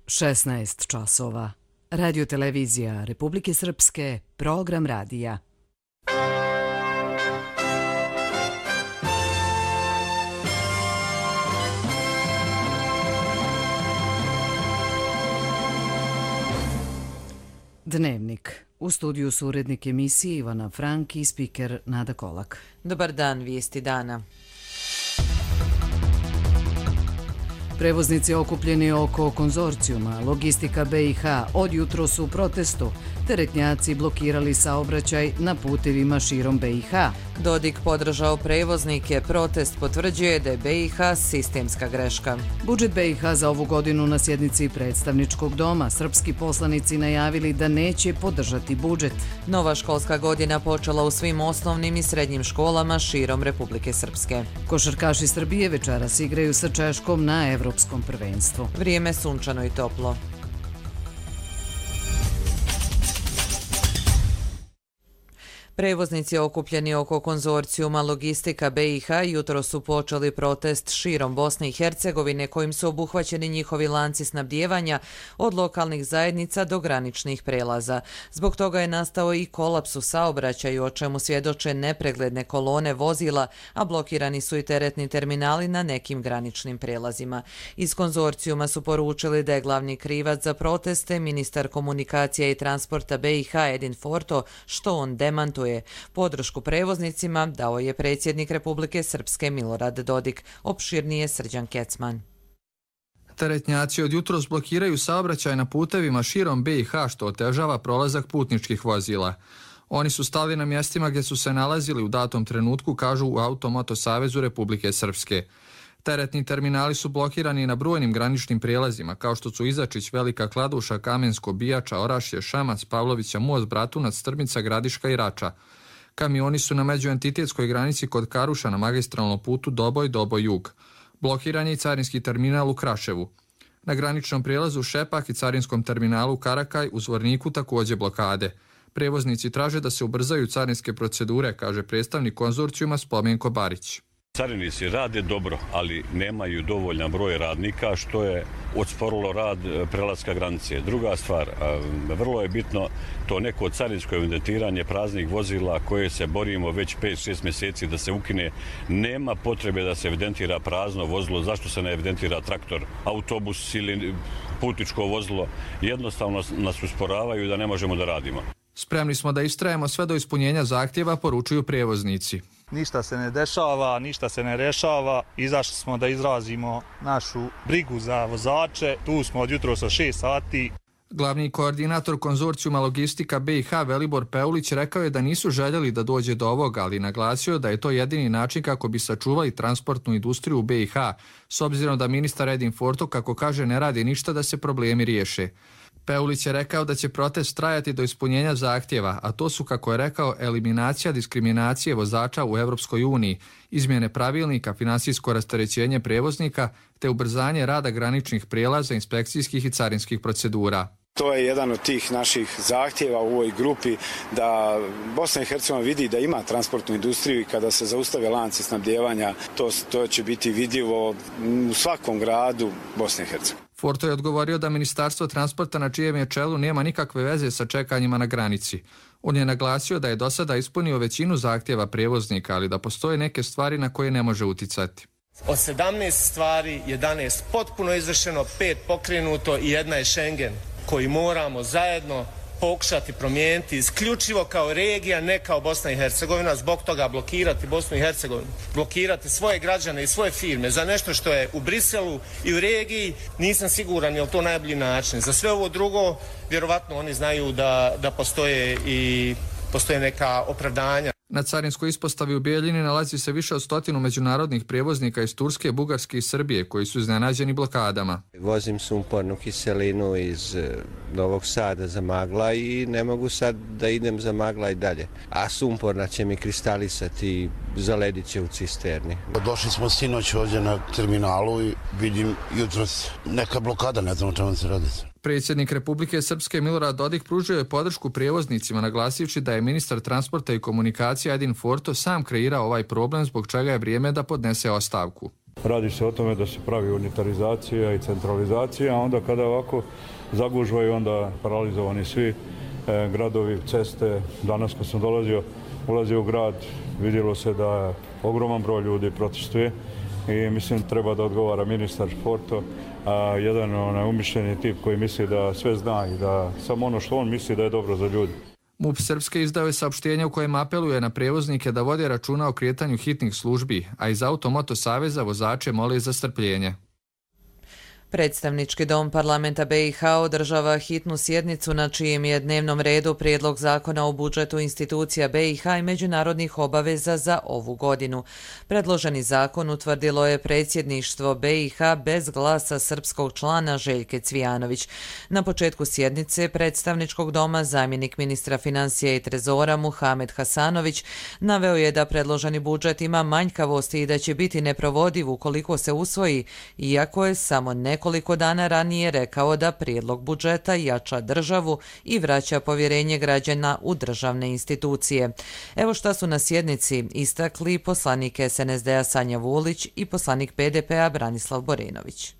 16 časova. Radio-televizija Republike Srpske, program radija. Dnevnik. U studiju su urednik emisije Ivana Frank i spiker Nada Kolak. Dobar dan, vijesti dana. Prevoznici okupljeni oko konzorcijuma Logistika BiH od jutro su u protestu. Teretnjaci blokirali saobraćaj na putevima širom BiH. Dodik podržao prevoznike, protest potvrđuje da je BiH sistemska greška. Budžet BiH za ovu godinu na sjednici predstavničkog doma. Srpski poslanici najavili da neće podržati budžet. Nova školska godina počela u svim osnovnim i srednjim školama širom Republike Srpske. Košarkaši Srbije večeras igraju sa Češkom na Evropskom prvenstvu. Vrijeme sunčano i toplo. Prevoznici okupljeni oko konzorcijuma Logistika BiH jutro su počeli protest širom Bosne i Hercegovine kojim su obuhvaćeni njihovi lanci snabdijevanja od lokalnih zajednica do graničnih prelaza. Zbog toga je nastao i kolaps u saobraćaju, o čemu svjedoče nepregledne kolone vozila, a blokirani su i teretni terminali na nekim graničnim prelazima. Iz konzorcijuma su poručili da je glavni krivac za proteste ministar komunikacija i transporta BiH Edin Forto, što on demantuje. Podršku prevoznicima dao je predsjednik Republike Srpske Milorad Dodik, opširnije Srđan Kecman. Teretnjaci od jutros blokiraju saobraćaj na putevima širom BiH što otežava prolazak putničkih vozila. Oni su stali na mjestima gdje su se nalazili u datom trenutku, kažu u Automoto Savezu Republike Srpske. Teretni terminali su blokirani na brojnim graničnim prijelazima, kao što su Izačić, Velika Kladuša, Kamensko, Bijača, Orašje, Šamac, Pavlovića, Most, Bratunac, Strmica, Gradiška i Rača. Kamioni su na međuentitetskoj granici kod Karuša na magistralnom putu Doboj-Doboj-Jug. Blokiran je i carinski terminal u Kraševu. Na graničnom prijelazu Šepak i carinskom terminalu Karakaj u Zvorniku također blokade. Prevoznici traže da se ubrzaju carinske procedure, kaže predstavnik konzorcijuma Spomenko Barić. Carinici rade dobro, ali nemaju dovoljan broj radnika, što je odsporilo rad prelaska granice. Druga stvar, vrlo je bitno to neko carinsko evidentiranje praznih vozila koje se borimo već 5-6 mjeseci da se ukine. Nema potrebe da se evidentira prazno vozilo. Zašto se ne evidentira traktor, autobus ili putničko vozilo? Jednostavno nas usporavaju da ne možemo da radimo. Spremni smo da istrajemo sve do ispunjenja zahtjeva, poručuju prijevoznici. Ništa se ne dešava, ništa se ne rešava. Izašli smo da izrazimo našu brigu za vozače. Tu smo od jutros od 6 sati. Glavni koordinator konzorcijuma Logistika BiH Velibor Peulić rekao je da nisu željeli da dođe do ovoga, ali naglasio da je to jedini način kako bi sačuvali transportnu industriju u BiH, s obzirom da ministar Edin Forto, kako kaže, ne radi ništa da se problemi riješe. Peulić je rekao da će protest trajati do ispunjenja zahtjeva, a to su, kako je rekao, eliminacija diskriminacije vozača u Europskoj uniji, izmjene pravilnika, finansijsko rasterećenje prevoznika te ubrzanje rada graničnih prijelaza, inspekcijskih i carinskih procedura. To je jedan od tih naših zahtjeva u ovoj grupi, da Bosna i Hercegovina vidi da ima transportnu industriju i kada se zaustave lanci snabdijevanja, to će biti vidljivo u svakom gradu Bosne i Hercegovine. Forto je odgovorio da Ministarstvo transporta na čijem je čelu nema nikakve veze sa čekanjima na granici. On je naglasio da je do sada ispunio većinu zahtjeva prijevoznika, ali da postoje neke stvari na koje ne može uticati. Od 17 stvari, 11 potpuno izvršeno, 5 pokrenuto i 1 je Schengen, koji moramo zajedno pokušati promijeniti isključivo kao regija, ne kao Bosna i Hercegovina. Zbog toga blokirati Bosnu i Hercegovinu, blokirati svoje građane i svoje firme za nešto što je u Briselu i u regiji, nisam siguran je li to najbolji način. Za sve ovo drugo, vjerovatno oni znaju da postoje neka opravdanja. Na carinskoj ispostavi u Bijeljini nalazi se više od 100 međunarodnih prijevoznika iz Turske, Bugarske i Srbije koji su iznenađeni blokadama. Vozim sumpornu kiselinu iz Novog Sada za Magla i ne mogu sad da idem za Magla i dalje. A sumporna će mi kristalisati, zaledit će u cisterni. Došli smo sinoć ovdje na terminalu i vidim jutros neka blokada, ne znam o čemu se radi. Predsjednik Republike Srpske Milorad Dodik pružio je podršku prijevoznicima, naglasivši da je ministar transporta i komunikacija Edin Forto sam kreirao ovaj problem, zbog čega je vrijeme da podnese ostavku. radi se o tome da se pravi unitarizacija i centralizacija, a onda kada ovako zagužvaju, onda paralizovani svi gradovi, ceste. Danas kad sam ulazio u grad, vidjelo se da ogroman broj ljudi protestuje i mislim treba da odgovara ministar športa, jedan umišljeni tip koji misli da sve zna i da samo ono što on misli da je dobro za ljudi. MUP Srpske izdao je saopštenje u kojem apeluje na prevoznike da vode računa o kretanju hitnih službi, a iz Auto-Moto saveza vozače moli za strpljenje. Predstavnički dom parlamenta BiH održava hitnu sjednicu na čijem je dnevnom redu prijedlog zakona o budžetu institucija BiH i međunarodnih obaveza za ovu godinu. Predloženi zakon utvrdilo je predsjedništvo BiH bez glasa srpskog člana Željke Cvijanović. Na početku sjednice predstavničkog doma zamjenik ministra financija i trezora Muhamed Hasanović naveo je da predloženi budžet ima manjkavosti i da će biti neprovodiv ukoliko se usvoji, iako je samo nekoliko dana ranije rekao da prijedlog budžeta jača državu i vraća povjerenje građana u državne institucije. Evo šta su na sjednici istakli poslanik SNSD-a Sanja Vulić i poslanik PDP-a Branislav Borenović.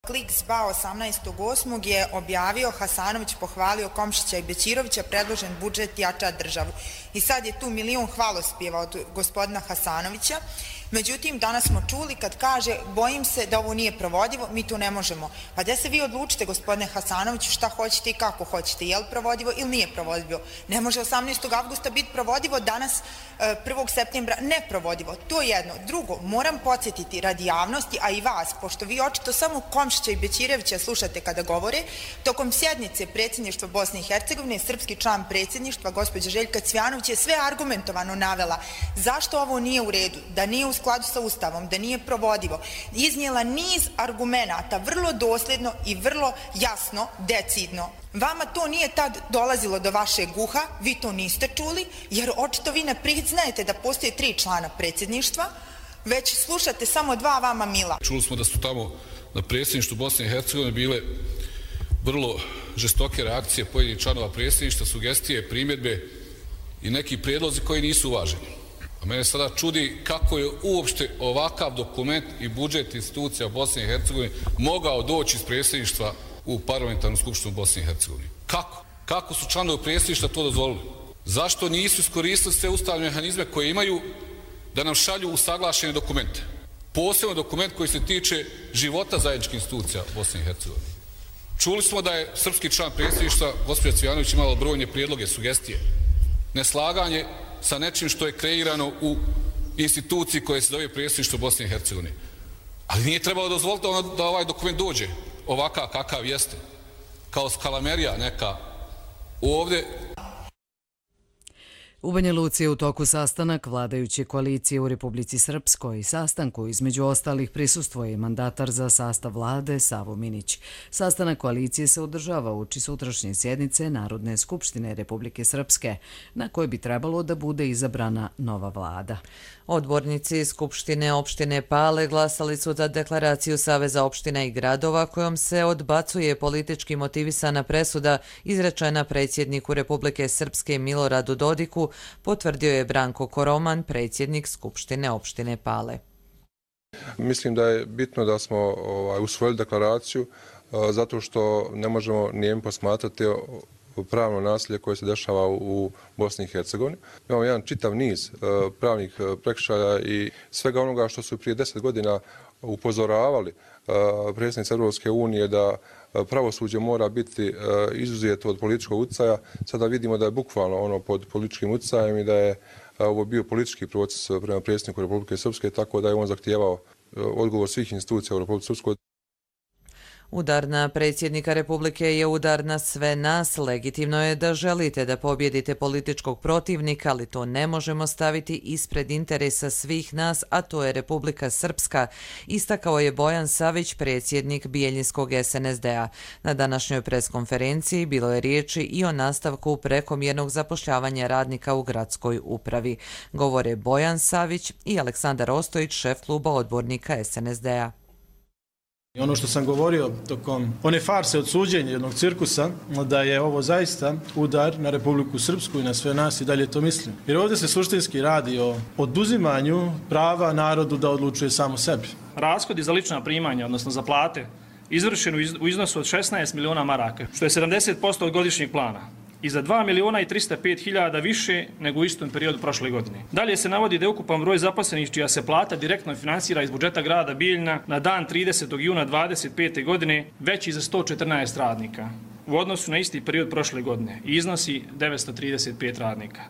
Klik SBA 18.8. je objavio, Hasanović pohvalio Komšića i Bećirovića, predložen budžet jača državu. I sad je tu milion hvalospjeva od gospodina Hasanovića. Međutim, danas smo čuli kad kaže bojim se da ovo nije provodivo, mi to ne možemo. Pa gdje se vi odlučite, gospodine Hasanoviću, šta hoćete i kako hoćete, je li provodivo ili nije provodivo? Ne može 18. avgusta biti provodivo, danas 1. septembra neprovodivo. To je jedno. Drugo, moram podsjetiti radi javnosti, a i vas, pošto vi očito samo Komšića i Bećirovića slušate kada govore, tokom sjednice predsjedništva Bosne i Hercegovine, srpski član predsjedništva, gospođa Željka Cvijanović je sve argumentovano navela zašto ovo nije u redu, da nije u skladu sa Ustavom, da nije provodivo. Iznijela niz argumenata, vrlo dosljedno i vrlo jasno, decidno. Vama to nije tad dolazilo do vašeg uha, vi to niste čuli, jer očito vi ne priznajete da postoje 3 člana predsjedništva, već slušate samo 2 vama mila. Čuli smo da su tamo na predsjedništvu Bosne i Hercegovine bile vrlo žestoke reakcije pojedinih članova predsjedništva, sugestije, primjedbe i neki prijedlozi koji nisu uvaženi. A mene sada čudi kako je uopšte ovakav dokument i budžet institucija Bosne i Hercegovine mogao doći iz predsjedništva u parlamentarnu skupštinu Bosne i Hercegovine. Kako? Kako su članovi predsjedništva to dozvolili? Zašto nisu iskoristili sve ustavne mehanizme koje imaju da nam šalju usaglašene dokumente? Posebno dokument koji se tiče života zajedničkih institucija Bosne i Hercegovine. Čuli smo da je srpski član predsjedništva, gospođa Cvijanović, imala brojne prijedloge, sugestije. Neslaganje sa nečim što je kreirano u instituciji koje se zove predsjedništvo Bosne i Hercegovine. Ali nije trebalo dozvoliti da ovaj dokument dođe ovakav kakav jeste, kao skalamerija neka ovdje. U Banja Luci je u toku sastanak vladajuće koalicije u Republici Srpskoj. Sastanku između ostalih prisustvuje mandatar za sastav vlade Savo Minić. Sastanak koalicije se održava uoči sutrašnje sjednice Narodne skupštine Republike Srpske, na kojoj bi trebalo da bude izabrana nova vlada. Odbornici Skupštine opštine Pale glasali su za deklaraciju Saveza opština i gradova kojom se odbacuje politički motivisana presuda izrečena predsjedniku Republike Srpske Miloradu Dodiku, potvrdio je Branko Koroman, predsjednik Skupštine opštine Pale. Mislim da je bitno da smo usvojili deklaraciju zato što ne možemo nijemi posmatrati pravno nasilje koje se dešava u Bosni i Hercegovini. Imamo jedan čitav niz pravnih prekršaja i svega onoga što su prije 10 godina upozoravali predsjednici Europske unije da pravosuđe mora biti izuzeto od političkog utjecaja. Sada vidimo da je bukvalno ono pod političkim utjecajem i da je ovo bio politički proces prema predsjedniku Republike Srpske, tako da je on zahtijevao odgovor svih institucija u Republike Srpskoj. Udar na predsjednika Republike je udar na sve nas. Legitimno je da želite da pobjedite političkog protivnika, ali to ne možemo staviti ispred interesa svih nas, a to je Republika Srpska, istakao je Bojan Savić, predsjednik Bijeljinskog SNSD-a. Na današnjoj preskonferenciji bilo je riječi i o nastavku prekomjernog zapošljavanja radnika u gradskoj upravi. Govore Bojan Savić i Aleksandar Ostojić, šef kluba odbornika SNSD-a. I ono što sam govorio tokom one farse od suđenja jednog cirkusa, da je ovo zaista udar na Republiku Srpsku i na sve nas i dalje to mislim. Jer ovdje se suštinski radi o oduzimanju prava narodu da odlučuje samo sebi. rashodi za lična primanja, odnosno za plate, izvršeni u iznosu od 16 miliona maraka, što je 70% od godišnjeg plana i za 2.305.000 više nego u istom periodu prošle godine. Dalje se navodi da je ukupan broj zaposlenih čija se plata direktno finansira iz budžeta grada Bijeljina na dan 30. juna 2025. godine veći za 114 radnika u odnosu na isti period prošle godine i iznosi 935 radnika.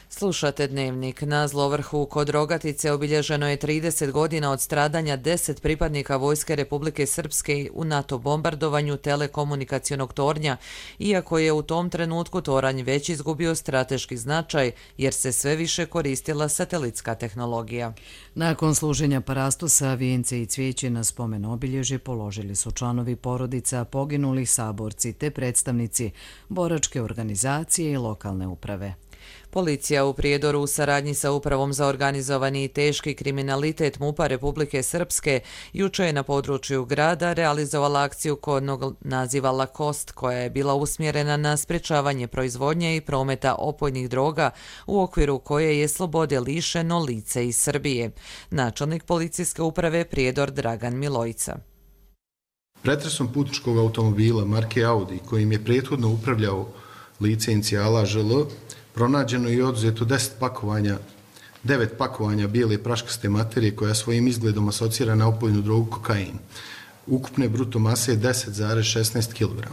Slušate Dnevnik. Na Zlovrhu kod Rogatice obilježeno je 30 godina od stradanja 10 pripadnika Vojske Republike Srpske u NATO bombardovanju telekomunikacionog tornja, iako je u tom trenutku toranj već izgubio strateški značaj jer se sve više koristila satelitska tehnologija. Nakon služenja parastosa, vijence i cvijeće na spomen obilježje položili su članovi porodica poginulih, saborci te predstavnici boračke organizacije i lokalne uprave. Policija u Prijedoru u saradnji sa Upravom za organizovani i teški kriminalitet MUP-a Republike Srpske juče je na području grada realizovala akciju kodnog naziva Lakost, koja je bila usmjerena na sprječavanje proizvodnje i prometa opojnih droga, u okviru koje je slobode lišeno lice iz Srbije. Načelnik policijske uprave Prijedor Dragan Milojica. Pretresom putničkog automobila marke Audi, kojim je prethodno upravljao lice inicijala ŽL, pronađeno i oduzeto 9 pakovanja bijele praškaste materije koja svojim izgledom asocira na opojnu drogu kokain. Ukupne bruto mase 10,16 kg.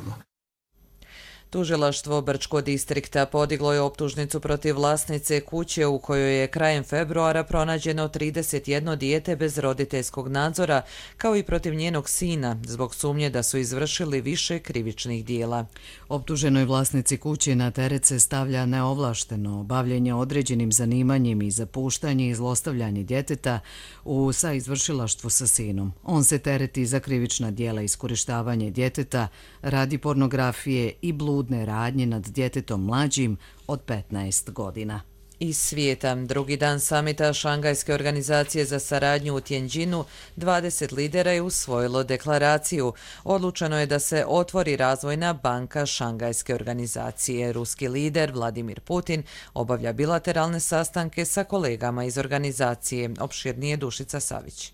Tužilaštvo Brčko distrikta podiglo je optužnicu protiv vlasnice kuće u kojoj je krajem februara pronađeno 31 dijete bez roditeljskog nadzora, kao i protiv njenog sina, zbog sumnje da su izvršili više krivičnih dijela. Optuženoj vlasnici kuće na teret se stavlja neovlašteno bavljenje određenim zanimanjem i zapuštanje i zlostavljanje djeteta u saizvršilaštvu sa sinom. On se tereti za krivična dijela iskorištavanje djeteta radi pornografije i bludne radnje nad djetetom mlađim od 15 godina. Iz svijeta, drugi dan samita Šangajske organizacije za saradnju u Tianjinu, 20 lidera je usvojilo deklaraciju. Odlučeno je da se otvori razvojna banka Šangajske organizacije. Ruski lider Vladimir Putin obavlja bilateralne sastanke sa kolegama iz organizacije. Opširnije Dušica Savić.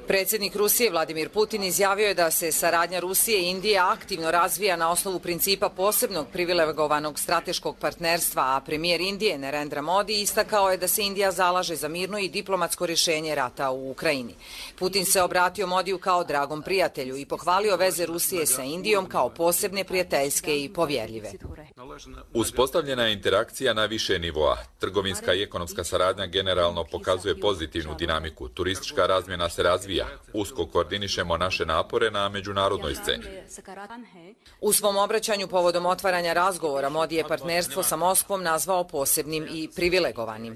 Predsjednik Rusije Vladimir Putin izjavio je da se saradnja Rusije i Indije aktivno razvija na osnovu principa posebnog privilegovanog strateškog partnerstva, a premijer Indije Narendra Modi istakao je da se Indija zalaže za mirno i diplomatsko rješenje rata u Ukrajini. Putin se obratio Modiju kao dragom prijatelju i pohvalio veze Rusije sa Indijom kao posebne prijateljske i povjerljive. Uspostavljena je interakcija na više nivoa. Trgovinska i ekonomska saradnja generalno pokazuje pozitivnu dinamiku. Turistička razmjena se razvija. Usko koordinišemo naše napore na međunarodnoj sceni. U svom obraćanju povodom otvaranja razgovora Modi je partnerstvo sa Moskvom nazvao posebnim i privilegovanim.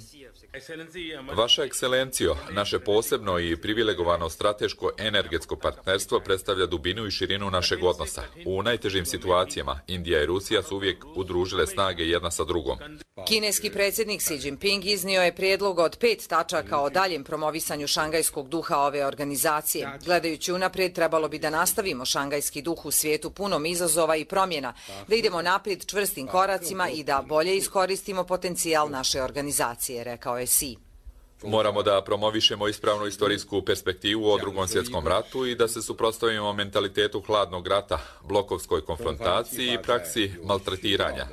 Vaša ekscelencijo, naše posebno i privilegovano strateško energetsko partnerstvo predstavlja dubinu i širinu našeg odnosa. U najtežim situacijama Indija i Rusija su uvijek udružile snage jedna sa drugom. Kineski predsjednik Xi Jinping iznio je prijedlog od 5 tačaka o daljem promovisanju šangajskog duha ove organizacije. Gledajući unaprijed, trebalo bi da nastavimo šangajski duh u svijetu punom izazova i promjena, da idemo naprijed čvrstim koracima i da bolje iskoristimo potencijal naše organizacije, rekao je Xi. Moramo da promovišemo ispravnu istorijsku perspektivu o Drugom svjetskom ratu i da se suprotstavimo mentalitetu hladnog rata, blokovskoj konfrontaciji i praksi maltretiranja.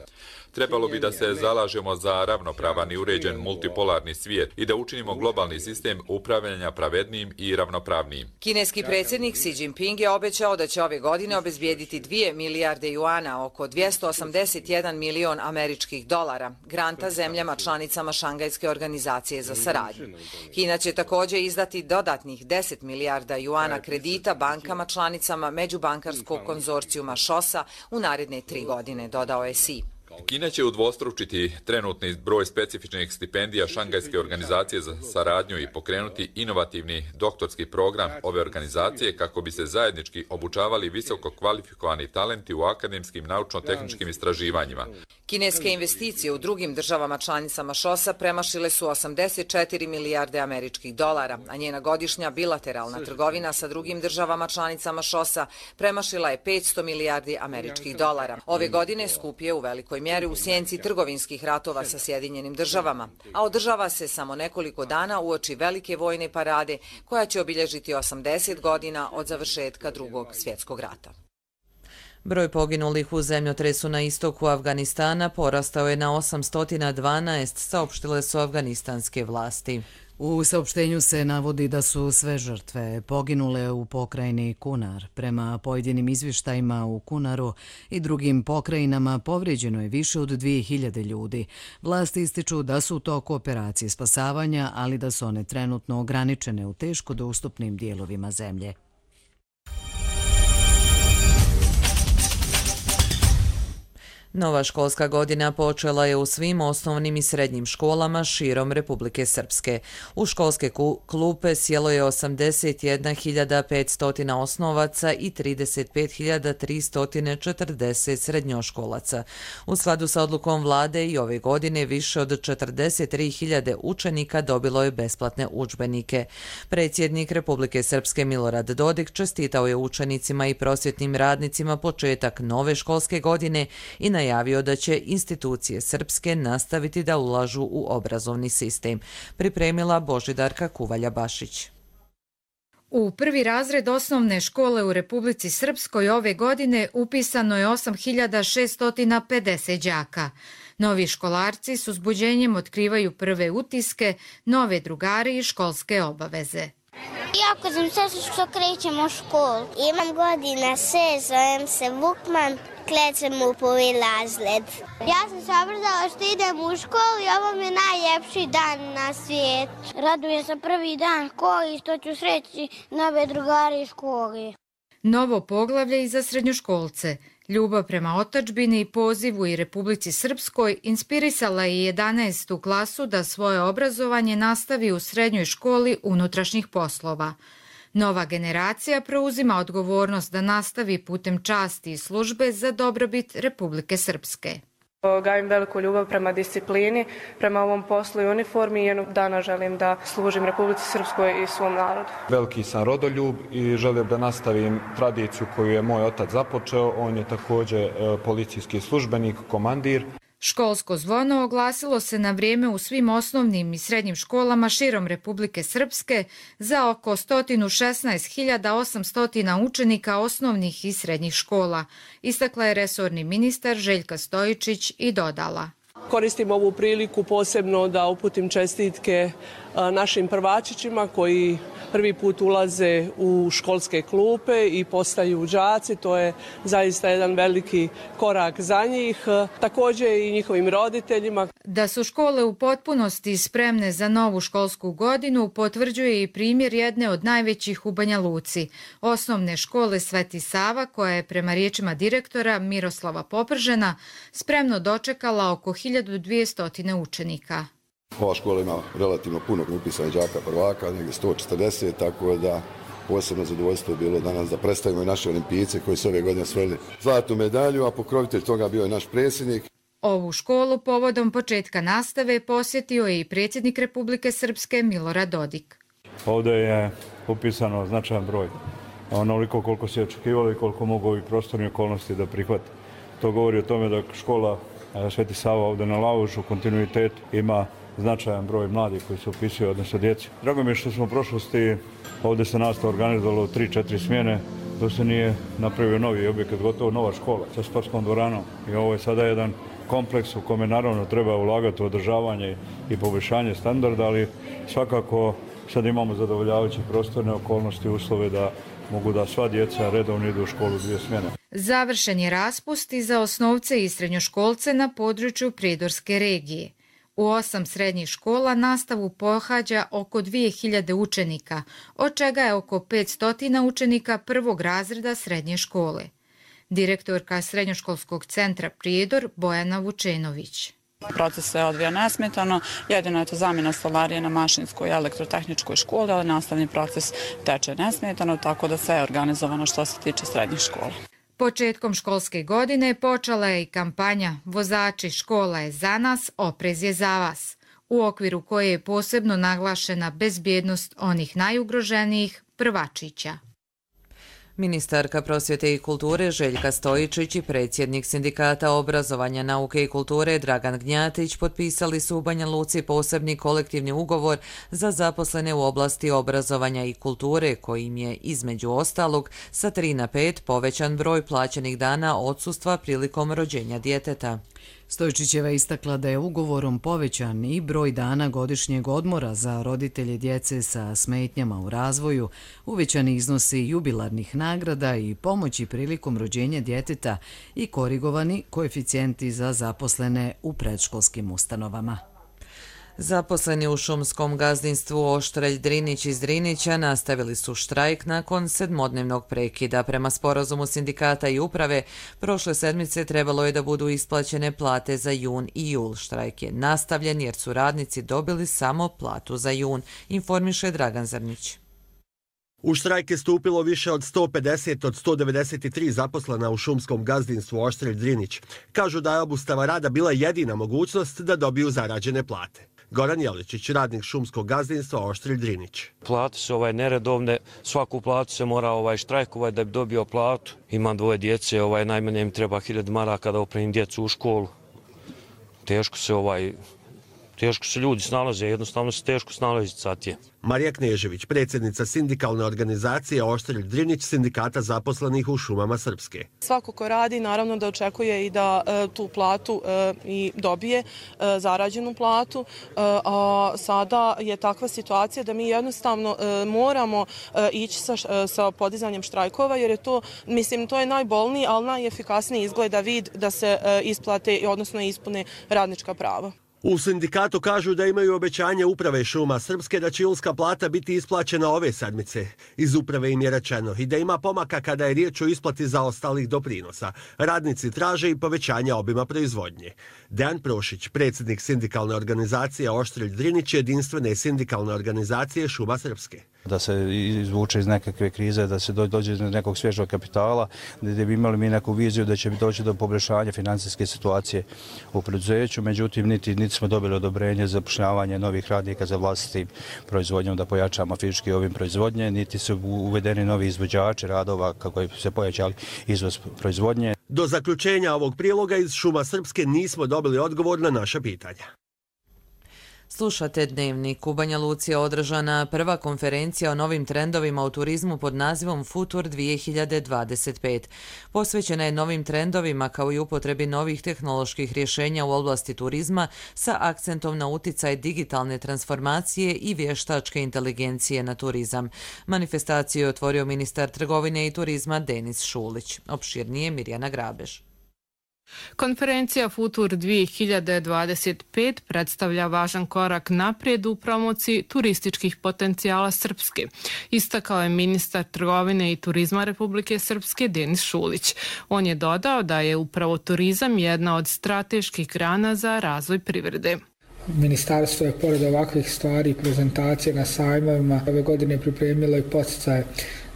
Trebalo bi da se zalažemo za ravnopravan i uređen multipolarni svijet i da učinimo globalni sistem upravljanja pravednijim i ravnopravnijim. Kineski predsjednik Xi Jinping je obećao da će ove godine obezbijediti 2 milijarde juana, oko 281 milion američkih dolara, granta zemljama članicama Šangajske organizacije za saradnju. Kina će također izdati dodatnih 10 milijarda juana kredita bankama članicama međubankarskog konzorcijuma ŠOS-a u naredne 3 godine, dodao je Xi. Kina će udvostručiti trenutni broj specifičnih stipendija Šangajske organizacije za saradnju i pokrenuti inovativni doktorski program ove organizacije kako bi se zajednički obučavali visoko kvalifikovani talenti u akademskim naučno-tehničkim istraživanjima. Kineske investicije u drugim državama članicama ŠOS-a premašile su 84 milijarde američkih dolara, a njena godišnja bilateralna trgovina sa drugim državama članicama ŠOS-a premašila je 500 milijardi američkih dolara. Ove godine skup je u velikoj mjeri mjere u sjenci trgovinskih ratova sa Sjedinjenim državama, a održava se samo nekoliko dana uoči velike vojne parade koja će obilježiti 80 godina od završetka Drugog svjetskog rata. Broj poginulih u zemljotresu na istoku Afganistana porastao je na 812, saopštile su afganistanske vlasti. U saopštenju se navodi da su sve žrtve poginule u pokrajini Kunar. Prema pojedinim izvještajima u Kunaru i drugim pokrajinama povrijeđeno je više od 2000 ljudi. Vlasti ističu da su u toku operacije spasavanja, ali da su one trenutno ograničene u teško dostupnim dijelovima zemlje. Nova školska godina počela je u svim osnovnim i srednjim školama širom Republike Srpske. U školske klupe sjelo je 81.500 osnovaca i 35.340 srednjoškolaca. U skladu sa odlukom vlade i ove godine više od 43.000 učenika dobilo je besplatne udžbenike. Predsjednik Republike Srpske Milorad Dodik čestitao je učenicima i prosvjetnim radnicima početak nove školske godine i najavio da će institucije srpske nastaviti da ulažu u obrazovni sistem. Pripremila Božidarka Kuvalja-Bašić. U prvi razred osnovne škole u Republici Srpskoj ove godine upisano je 8.650 đaka. Novi školarci s uzbuđenjem otkrivaju prve utiske, nove drugare i školske obaveze. Jako sam srećna što krećemo u školu. Imam godina 6, zovem se Vukman, klećem u prvi razred. Ja sam se obradala što idem u školu i ovo mi je najljepši dan na svijetu. Radujem se prvi dan školi i što ću sreći nove drugare iz škole. Novo poglavlje i za srednjoškolce. Ljubav prema otadžbini, pozivu i Republici Srpskoj inspirisala je 11. klasu da svoje obrazovanje nastavi u srednjoj školi unutrašnjih poslova. Nova generacija preuzima odgovornost da nastavi putem časti i službe za dobrobit Republike Srpske. Gajim veliku ljubav prema disciplini, prema ovom poslu i uniformi i jednog dana želim da služim Republici Srpskoj i svom narodu. Veliki sam rodoljub i želim da nastavim tradiciju koju je moj otac započeo. On je također policijski službenik, komandir. Školsko zvono oglasilo se na vrijeme u svim osnovnim i srednjim školama širom Republike Srpske za oko 116.800 učenika osnovnih i srednjih škola, istakla je resorni ministar Željka Stojičić i dodala. Koristim ovu priliku posebno da uputim čestitke našim prvačićima koji prvi put ulaze u školske klupe i postaju đaci. To je zaista jedan veliki korak za njih. Također i njihovim roditeljima. Da su škole u potpunosti spremne za novu školsku godinu potvrđuje i primjer jedne od najvećih u Banja Luci, osnovne škole Sveti Sava, koja je prema riječima direktora Miroslava Popržena spremno dočekala oko 1200 učenika. Ova škola ima relativno puno upisanih đaka prvaka, negdje 140, tako da posebno zadovoljstvo je bilo danas da predstavimo i naše olimpijce koji su ove godine osvojili zlatnu medalju, a pokrovitelj toga bio je naš predsjednik. Ovu školu povodom početka nastave posjetio je i predsjednik Republike Srpske Milorad Dodik. Ovdje je upisano značajan broj, onoliko koliko se očekivalo i koliko mogu ovi prostorni okolnosti da prihvate. To govori o tome da škola Sveti Sava ovdje na Lavušu u kontinuitetu ima značajan broj mladih koji se upisuju, odnosno djeci. Drago mi je što smo u prošlosti ovdje se nastava organizovalo 3-4 smjene, to se nije napravio novi objekat, gotovo nova škola sa sportskom dvoranom. I ovo je sada jedan kompleks u kome naravno treba ulagati u održavanje i poboljšanje standarda, ali svakako sad imamo zadovoljavajuće prostorne okolnosti i uslove da mogu da sva djeca redovno idu u školu 2 smjene. Završen je raspust i za osnovce i srednjoškolce na području Prijedorske regije. U 8 srednjih škola nastavu pohađa oko 2000 učenika, od čega je oko 500 učenika prvog razreda srednje škole. Direktorka Srednjoškolskog centra Prijedor Bojana Vučenović. Proces se odvija nesmetano, jedino je to zamjena stolarije na mašinskoj i elektrotehničkoj školi, ali nastavni proces teče nesmetano, tako da sve je organizovano što se tiče srednjih škola. Početkom školske godine počela je i kampanja Vozači, škola je za nas, oprez je za vas, u okviru koje je posebno naglašena bezbjednost onih najugroženijih prvačića. Ministarka prosvjete i kulture Željka Stojičić i predsjednik Sindikata obrazovanja, nauke i kulture Dragan Gnjatić potpisali su u Banja Luci posebni kolektivni ugovor za zaposlene u oblasti obrazovanja i kulture, kojim je, između ostalog, sa 3 na 5 povećan broj plaćenih dana odsustva prilikom rođenja djeteta. Stojičićeva istakla da je ugovorom povećan i broj dana godišnjeg odmora za roditelje djece sa smetnjama u razvoju, uvećani iznosi jubilarnih nagrada i pomoći prilikom rođenja djeteta i korigovani koeficijenti za zaposlene u predškolskim ustanovama. Zaposleni u šumskom gazdinstvu Oštrelj Drinić iz Drinića nastavili su štrajk nakon 7-dnevnog prekida. Prema sporazumu sindikata i uprave, prošle sedmice trebalo je da budu isplaćene plate za jun i jul. Štrajk je nastavljen jer su radnici dobili samo platu za jun, informiše Dragan Zrnić. U štrajk je stupilo više od 150 od 193 zaposlena u šumskom gazdinstvu Oštrelj Drinić. Kažu da je obustava rada bila jedina mogućnost da dobiju zarađene plate. Goran Jeličić, radnik šumskog gazdinstva Oštrelj Drinić. Plate su neredovne, svaku platu se mora štrajkovati da bi dobio platu. Imam 2 djece, najmanje im treba 1000 maraka da opremim djecu u školu. Teško se ljudi snalaze, jednostavno se teško snalaziti sad je. Marija Knežević, predsjednica sindikalne organizacije Oštrelj Drinić, sindikata zaposlenih u šumama Srpske. Svako ko radi naravno da očekuje i da tu platu i dobije, zarađenu platu, a sada je takva situacija da mi jednostavno moramo ići sa podizanjem štrajkova, jer je to, to je najbolniji, ali najefikasniji izgleda vid da se isplate, odnosno ispune radnička prava. U sindikatu kažu da imaju obećanje uprave šuma Srpske da će julska plata biti isplaćena ove sedmice. Iz uprave im je rečeno i da ima pomaka kada je riječ o isplati zaostalih doprinosa. Radnici traže i povećanja obima proizvodnje. Dejan Prošić, predsjednik sindikalne organizacije Oštrelj Drinić, jedinstvene sindikalne organizacije šuma Srpske. Da se izvuče iz nekakve krize, da se dođe do nekog svježog kapitala, gdje bi imali mi neku viziju da će doći do poboljšanja financijske situacije u preduzeću, međutim niti smo dobili odobrenje za zapošljavanje novih radnika za vlastitim proizvodnjom, da pojačamo fizički ovim proizvodnje, niti su uvedeni novi izvođači radova kako bi se pojačali izvoz proizvodnje. Do zaključenja ovog priloga iz šuma Srpske nismo dobili odgovor na naša pitanja. Slušate Dnevnik. U Banja Luci je održana prva konferencija o novim trendovima u turizmu pod nazivom Futur 2025. Posvećena je novim trendovima kao i upotrebi novih tehnoloških rješenja u oblasti turizma sa akcentom na uticaj digitalne transformacije i vještačke inteligencije na turizam. Manifestaciju je otvorio ministar trgovine i turizma Denis Šulić. Opširnije Mirjana Grabež. Konferencija Futur 2025 predstavlja važan korak naprijed u promociji turističkih potencijala Srpske, istakao je ministar trgovine i turizma Republike Srpske Denis Šulić. On je dodao da je upravo turizam jedna od strateških grana za razvoj privrede. Ministarstvo je pored ovakvih stvari i prezentacije na sajmovima ove godine pripremilo i podsticaje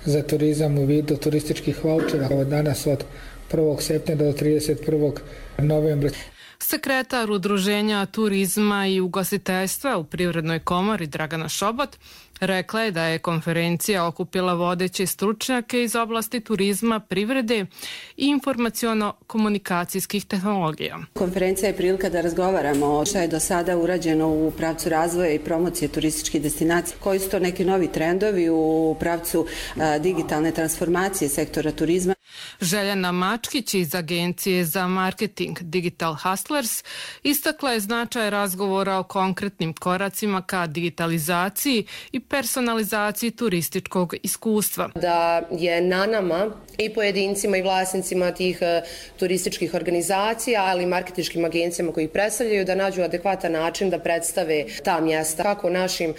za turizam u vidu turističkih vaučera od danas od 1. septembra do 31. novembra. Sekretar Udruženja turizma i ugostiteljstva u Privrednoj komori Dragana Šobot rekla je da je konferencija okupila vodeće stručnjake iz oblasti turizma, privrede i informaciono-komunikacijskih tehnologija. Konferencija je prilika da razgovaramo o što je do sada urađeno u pravcu razvoja i promocije turističkih destinacija, koji su to neki novi trendovi u pravcu digitalne transformacije sektora turizma. Željana Mačkić iz Agencije za marketing Digital Hustlers istakla je značaj razgovora o konkretnim koracima ka digitalizaciji i personalizaciji turističkog iskustva. Da je na nama i pojedincima i vlasnicima tih turističkih organizacija, ali i marketinškim agencijama koji ih predstavljaju, da nađu adekvatan način da predstave ta mjesta kako našim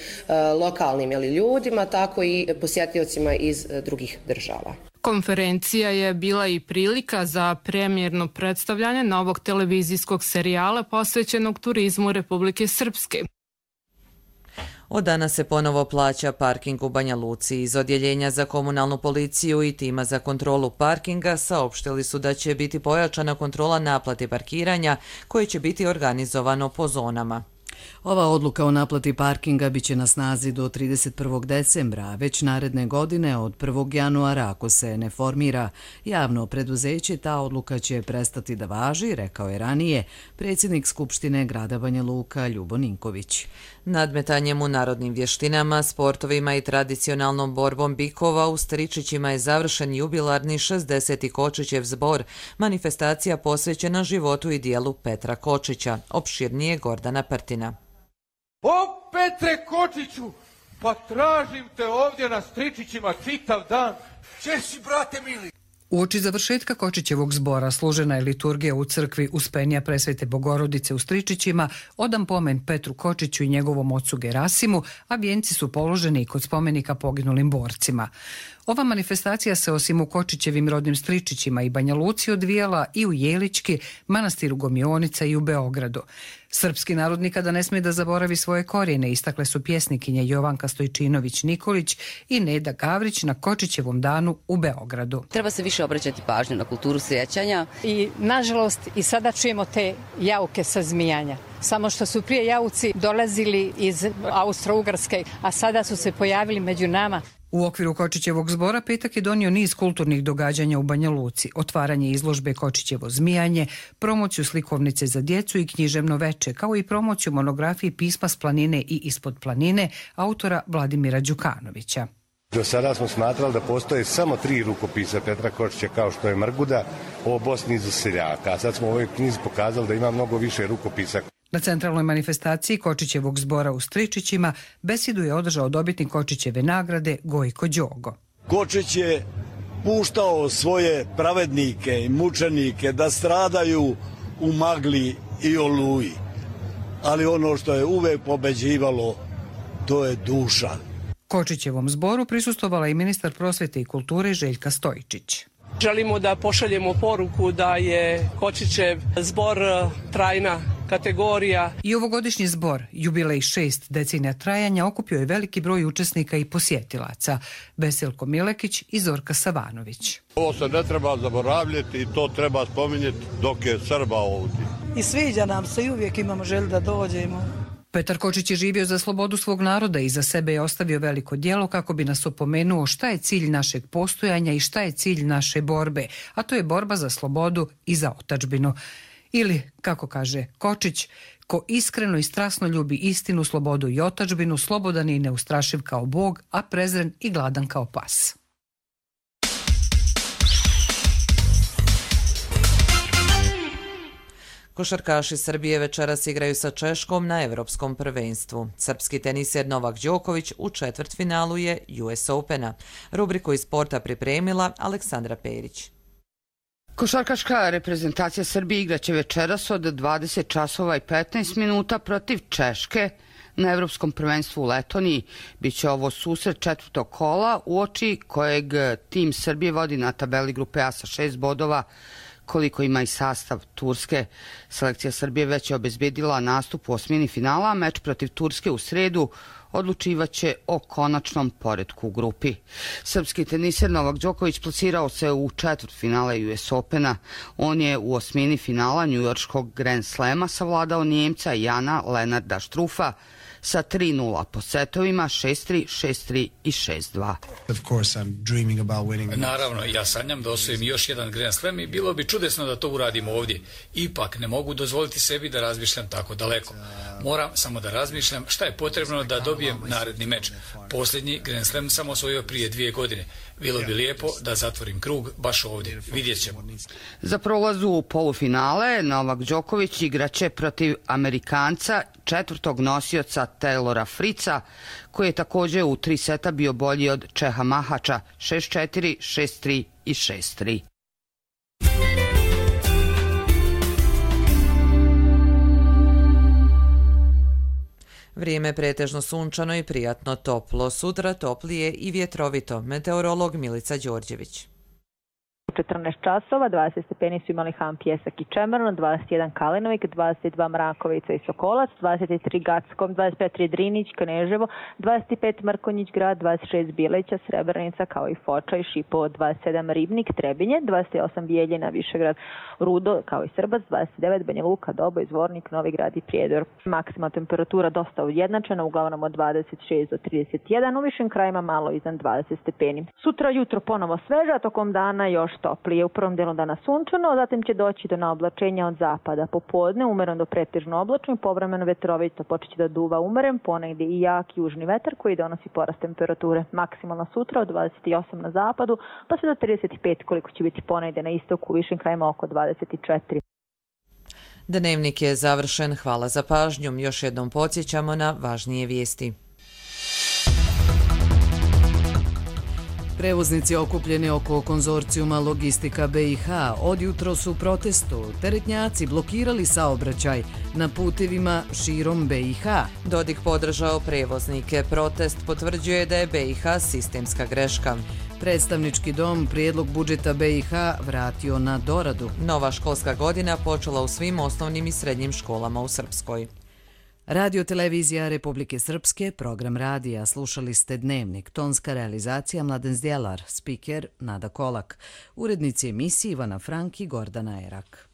lokalnim ljudima, tako i posjetiocima iz drugih država. Konferencija je bila i prilika za premijerno predstavljanje novog televizijskog serijala posvećenog turizmu Republike Srpske. Od danas se ponovo plaća parking u Banja Luci. Iz Odjeljenja za komunalnu policiju i tima za kontrolu parkinga saopštili su da će biti pojačana kontrola naplate parkiranja koje će biti organizovano po zonama. Ova odluka o naplati parkinga biće na snazi do 31. decembra, a već naredne godine od 1. januara, ako se ne formira javno preduzeće, ta odluka će prestati da važi, rekao je ranije predsjednik Skupštine grada Banja Luka Ljubo Ninković. Nadmetanjem u narodnim vještinama, sportovima i tradicionalnom borbom bikova u Stričićima je završen jubilarni 60. Kočićev zbor, manifestacija posvećena životu i dijelu Petra Kočića. Opširnije Gordana Prtina. O Petre Kočiću, pa tražim te ovdje na Stričićima čitav dan. Gdje si, brate mili? Uoči završetka Kočićevog zbora služena je liturgija u crkvi Uspenja Presvete Bogorodice u Stričićima, odan pomen Petru Kočiću i njegovom ocu Gerasimu, a vijenci su položeni i kod spomenika poginulim borcima. Ova manifestacija se osim u Kočićevim rodnim Stričićima i Banja Luci odvijala i u Jelički, manastiru Gomionica i u Beogradu. Srpski narod nikada ne smije da zaboravi svoje korijene, istakle su pjesnikinje Jovanka Stojčinović-Nikolić i Neda Gavrić na Kočićevom danu u Beogradu. Treba se više obraćati pažnju na kulturu sjećanja. I nažalost i sada čujemo te jauke sa zmijanja. Samo što su prije jauci dolazili iz Austro-Ugarske, a sada su se pojavili među nama. U okviru Kočićevog zbora petak je donio niz kulturnih događanja u Banja Luci, otvaranje izložbe Kočićevo zmijanje, promociju slikovnice za djecu i književno veče, kao i promociju monografije Pisma s planine i ispod planine autora Vladimira Đukanovića. Do sada smo smatrali da postoje samo 3 rukopisa Petra Kočića, kao što je Mrguda, o Bosni za seljaka, a sad smo u ovoj knjizi pokazali da ima mnogo više rukopisa. Na centralnoj manifestaciji Kočićevog zbora u Stričićima besedu je održao dobitnik Kočićeve nagrade Gojko Đogo. Kočić je puštao svoje pravednike i mučenike da stradaju u magli i oluji, ali ono što je uvek pobeđivalo, to je duša. Kočićevom zboru prisustvovala i ministar prosvete i kulture Željka Stojčić. Želimo da pošaljemo poruku da je Kočićev zbor trajna kategorija. I ovogodišnji zbor, jubilej 6 decenija trajanja, okupio je veliki broj učesnika i posjetilaca. Veselko Milekić i Zorka Savanović. Ovo se ne treba zaboravljati i to treba spominjati dok je Srba ovdje. I sviđa nam se i uvijek imamo želju da dođemo. Petar Kočić je živio za slobodu svog naroda i za sebe je ostavio veliko djelo kako bi nas opomenuo šta je cilj našeg postojanja i šta je cilj naše borbe, a to je borba za slobodu i za otadžbinu. Ili, kako kaže Kočić, ko iskreno i strasno ljubi istinu, slobodu i otadžbinu, slobodan i neustrašiv kao Bog, a prezren i gladan kao pas. Košarkaši Srbije večeras igraju sa Češkom na Evropskom prvenstvu. Srpski teniser Novak Đoković u četvrtfinalu je US Opena. Rubriku iz sporta pripremila Aleksandra Perić. Košarkaška reprezentacija Srbije igraće večeras od 20 časova i 15 minuta protiv Češke na Evropskom prvenstvu u Letoniji. Biće ovo susret četvrtog kola, uoči kojeg tim Srbije vodi na tabeli grupe A sa 6 bodova, koliko ima i sastav Turske. Selekcija Srbije već je obezbedila nastup u osmini finala, a meč protiv Turske u sredu odlučivaće o konačnom poretku u grupi. Srpski teniser Novak Đoković plasirao se u četvrtfinale US Opena. On je u osmini finala njujorškog Grand Slema savladao Njemca Jana Lenarda Štrufa sa 3-0 po setovima, 6-3, 6-3 i 6-2. Naravno, ja sanjam da osvojim još jedan Grand Slam i bilo bi čudesno da to uradim ovdje. Ipak ne mogu dozvoliti sebi da razmišljam tako daleko. Moram samo da razmišljam šta je potrebno da dobijem naredni meč. Posljednji Grand Slam sam osvojio prije 2 godine. Bilo bi lijepo da zatvorim krug baš ovdje. Vidjet ćemo. Za prolaz u polufinale Novak Đoković igraće protiv Amerikanca, četvrtog nosioca Taylora Fritza, koji je također u 3 seta bio bolji od Čeha Mahača 6-4, 6-3 i 6-3. Vrijeme je pretežno sunčano i prijatno toplo. Sutra toplije i vjetrovito. Meteorolog Milica Đorđević. 14 časova, 20 stepeni su imali Han, Pjesak i Čemerno, 21 Kalinovik, 22 Mrakovica i Sokolac, 23 Gackom, 25 Drinić, Kneževo, 25 Mrkonjić grad, 26 Bileća, Srebrenica kao i Foča i Šipovo, 27 Ribnik, Trebinje, 28 Bijeljina, Višegrad, Rudo kao i Srbac, 29 Banja Luka, Doboj, Zvornik, Novi Grad i Prijedor. Maksimalna temperatura dosta ujednačena, uglavnom od 26 do 31, u višim krajima malo iznad 20 stepeni. Sutra jutro ponovo sveže, a tokom dana još toplije. U prvom delu dana sunčano, zatim će doći do naoblačenja od zapada. Popodne umeren do pretežno oblačno i povremeno vetrovito, počeće da duva umeren, ponegdje i jak južni vetar koji donosi porast temperature. Maksimalna sutra od 28 na zapadu, pa sve do 35 koliko će biti ponegdje na istoku, u višim krajima oko 24. Dnevnik je završen. Hvala za pažnju. Još jednom podsjećamo na važnije vijesti. Prevoznici okupljeni oko konzorcijuma Logistika BiH od jutros u protestu. Teretnjaci blokirali saobraćaj na putevima širom BiH. Dodik podržao prevoznike. Protest potvrđuje da je BiH sistemska greška. Predstavnički dom prijedlog budžeta BiH vratio na doradu. Nova školska godina počela u svim osnovnim i srednjim školama u Srpskoj. Radio televizija Republike Srpske, program radija, slušali ste Dnevnik, tonska realizacija Mladen Zdjelar, spiker Nada Kolak, urednici emisiji Ivana Frank i Gordana Erak.